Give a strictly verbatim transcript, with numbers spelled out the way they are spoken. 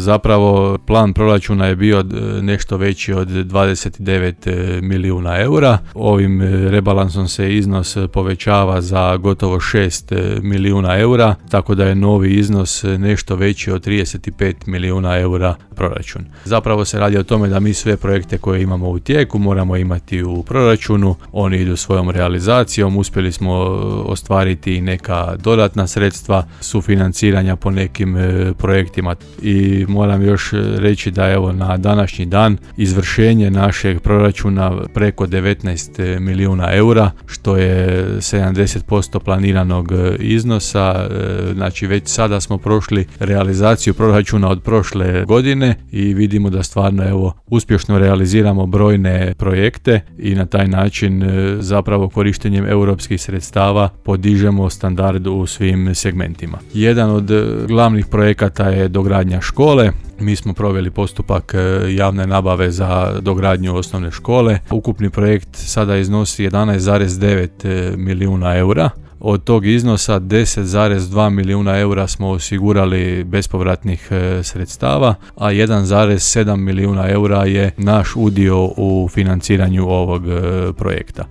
Zapravo plan proračuna je bio nešto veći od dvadeset devet milijuna eura. Ovim rebalansom se iznos povećava za gotovo šest milijuna eura, tako da je novi iznos nešto veći od trideset pet milijuna eura proračun. Zapravo se radi o tome da mi sve projekte koje imamo u tijeku moramo imati u proračunu, oni idu svojom realizacijom, uspjeli smo ostvariti neka dodatna sredstva sufinanciranja po nekim projektima i moram još reći da evo na današnji dan izvršenje našeg proračuna preko devetnaest milijuna eura, što je sedamdeset posto planiranog iznosa. Znači već sada smo prošli realizaciju proračuna od prošle godine i vidimo da stvarno evo uspješno realiziramo brojne projekte i na taj način zapravo korištenjem europskih sredstava podižemo standard u svim segmentima. Jedan od glavnih projekata je dogradnja škole. Mi smo proveli postupak javne nabave za dogradnju osnovne škole. Ukupni projekt sada iznosi jedanaest zarez devet milijuna eura. Od tog iznosa deset zarez dva milijuna eura smo osigurali bespovratnih sredstava, a jedan zarez sedam milijuna eura je naš udio u financiranju ovog projekta.